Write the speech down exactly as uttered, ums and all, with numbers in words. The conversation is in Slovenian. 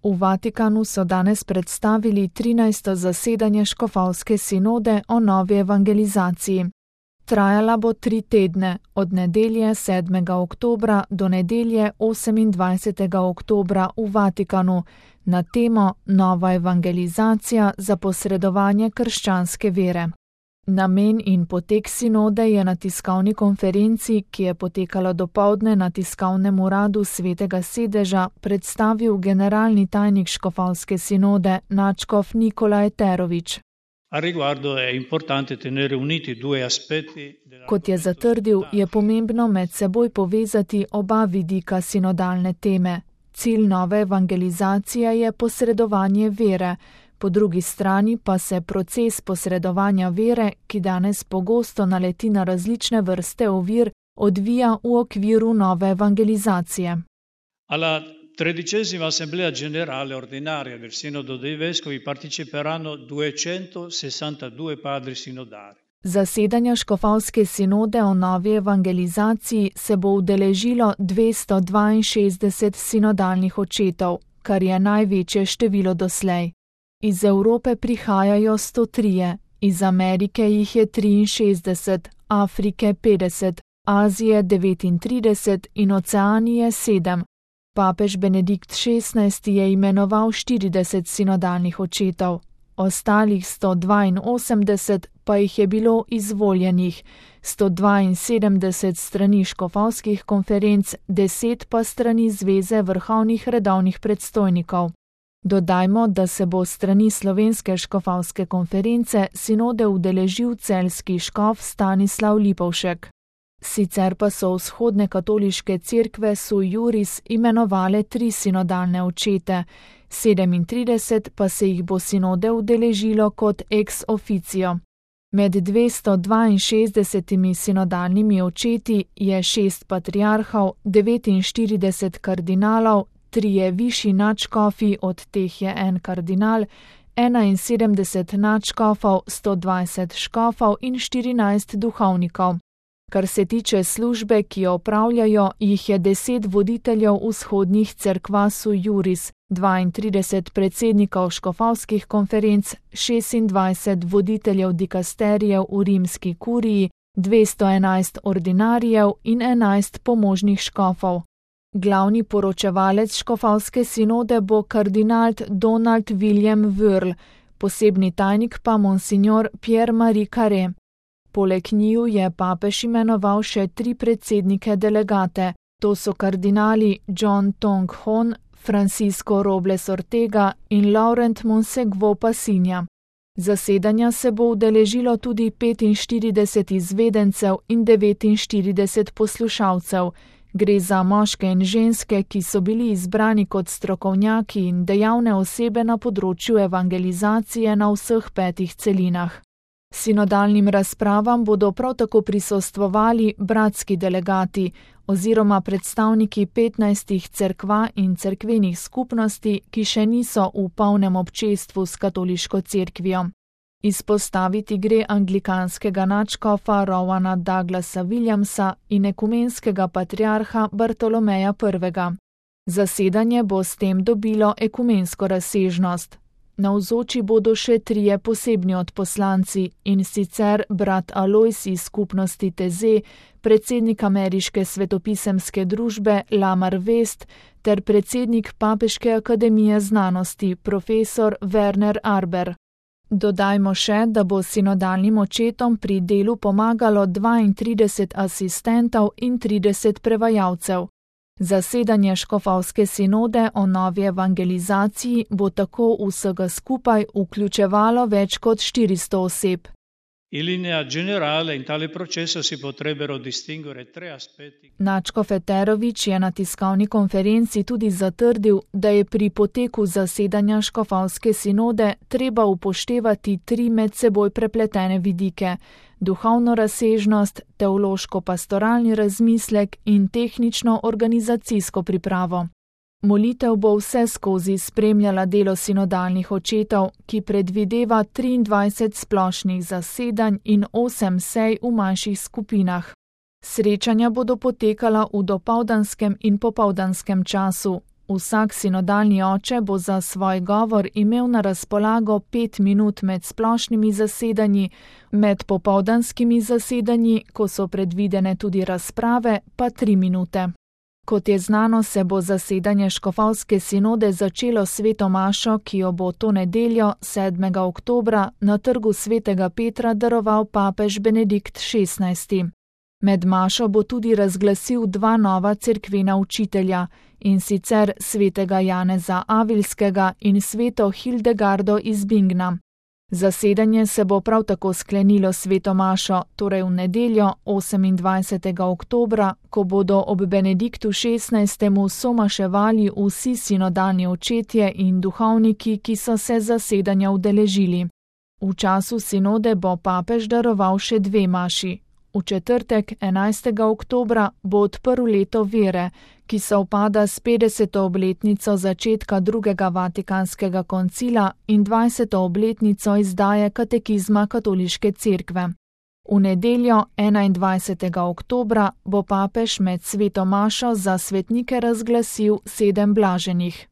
V Vatikanu so danes predstavili trinajsto zasedanje škofovske sinode o novi evangelizaciji. Trajala bo tri tedne, od nedelje sedmega oktobra do nedelje osemindvajsetega oktobra v Vatikanu, na temo Nova evangelizacija za posredovanje krščanske vere. Namen in potek sinode je na tiskovni konferenci, ki je potekala dopoldne na tiskovnem uradu Svetega sedeža, predstavil generalni tajnik škofovske sinode nadškof Nikola Eterović. Kot je zatrdil, je pomembno med seboj povezati oba vidika sinodalne teme. Cilj nove evangelizacije je posredovanje vere, po drugi strani pa se proces posredovanja vere, ki danes pogosto naleti na različne vrste ovir, odvija v okviru nove evangelizacije. Alla tredicesima Assemblea Generale Ordinaria del Sinodo dei Vescovi parteciperanno duecentosessantadue padri sinodali. Zasedanja škofovske sinode o novi evangelizaciji se bo udeležilo dvesto dvainšestdeset sinodalnih očetov, kar je največje število doslej. Iz Evrope prihajajo sto tri, iz Amerike jih je triinšestdeset, Afrike petdeset, Azije devetintrideset in Oceanije sedem. Papež Benedikt šestnajsti je imenoval štirideset sinodalnih očetov, ostalih sto dvainosemdeset pa jih je bilo izvoljenih, sto dvainsedemdeset strani škofovskih konferenc, deset pa strani Zveze vrhovnih redovnih predstojnikov. Dodajmo, da se bo strani Slovenske škofovske konference sinode udeležil celjski škof Stanislav Lipovšek. Sicer pa so vzhodne katoliške cerkve sui juris imenovale tri sinodalne očete, sedemintrideset pa se jih bo sinode udeležilo kot ex officio. Med dvesto dvainšestdesetimi sinodalnimi očeti je šest patriarhov, devetinštirideset kardinalov, trije višji nadškofi, od teh je en kardinal, enainsedemdeset nadškofov, sto dvajset škofov in štirinajst duhovnikov. Kar se tiče službe, ki jo opravljajo, jih je deset voditeljev vzhodnih cerkva sui juris, dvaintrideset predsednikov škofovskih konferenc, šestindvajset voditeljev dikasterijev v rimski kuriji, dvesto enajst ordinarijev in enajst pomožnih škofov. Glavni poročevalec škofovske sinode bo kardinal Donald William Wörl, posebni tajnik pa monsignor Pierre-Marie Carré. Poleg njiju je papež imenoval še tri predsednike delegate, to so kardinali John Tong Hon, Francisco Robles Ortega in Laurent Monsegvo Passinja. Zasedanja se bo udeležilo tudi petinštirideset izvedencev in devetinštirideset poslušalcev. Gre za moške in ženske, ki so bili izbrani kot strokovnjaki in dejavne osebe na področju evangelizacije na vseh petih celinah. Sinodalnim razpravam bodo prav tako prisostvovali bratski delegati oziroma predstavniki petnajstih cerkva in cerkvenih skupnosti, ki še niso v polnem občestvu s katoliško cerkvijo. Izpostaviti gre anglikanskega nadškofa Rowana Douglasa Williamsa in ekumenskega patriarha Bartolomeja prvega. Zasedanje bo s tem dobilo ekumensko razsežnost. Navzoči bodo še trije posebni odposlanci, in sicer brat Alojz iz skupnosti Teze, predsednik ameriške svetopisemske družbe Lamar West ter predsednik Papeške akademije znanosti profesor Werner Arber. Dodajmo še, da bo sinodalnim očetom pri delu pomagalo dvaintrideset asistentov in trideset prevajalcev. Zasedanje škofovske sinode o novi evangelizaciji bo tako vsega skupaj vključevalo več kot štiristo oseb. In linea generale in tale processo si potrebbero distinguere tre aspetti. Nadškof Eterović je na tiskovni konferenci tudi zatrdil, da je pri poteku zasedanja škofovske sinode treba upoštevati tri med seboj prepletene vidike: duhovno razsežnost, teološko-pastoralni razmislek in tehnično-organizacijsko pripravo. Molitev bo vse skozi spremljala delo sinodalnih očetov, ki predvideva triindvajset splošnih zasedanj in osem sej v manjših skupinah. Srečanja bodo potekala v dopoldanskem in popoldanskem času. Vsak sinodalni oče bo za svoj govor imel na razpolago pet minut med splošnimi zasedanji, med popoldanskimi zasedanji, ko so predvidene tudi razprave, pa tri minute. Kot je znano, se bo zasedanje škofovske sinode začelo s sveto mašo, ki jo bo to nedeljo, sedmega oktobra, na trgu svetega Petra daroval papež Benedikt šestnajsti. Med mašo bo tudi razglasil dva nova cerkvena učitelja, in sicer svetega Janeza Avilskega in sveto Hildegardo iz Bingna. Zasedanje se bo prav tako sklenilo sveto mašo, torej v nedeljo, osemindvajsetega oktobra, ko bodo ob Benediktu šestnajstemu somaševali vsi sinodalni očetje in duhovniki, ki so se zasedanja udeležili. V času sinode bo papež daroval še dve maši. V četrtek, enajstega oktobra, bo odprl leto vere, ki sovpada s petdeseto obletnico začetka drugega vatikanskega koncila in dvajseto obletnico izdaje katekizma katoliške cerkve. V nedeljo, enaindvajsetega oktobra, bo papež med sveto mašo za svetnike razglasil sedem blaženih.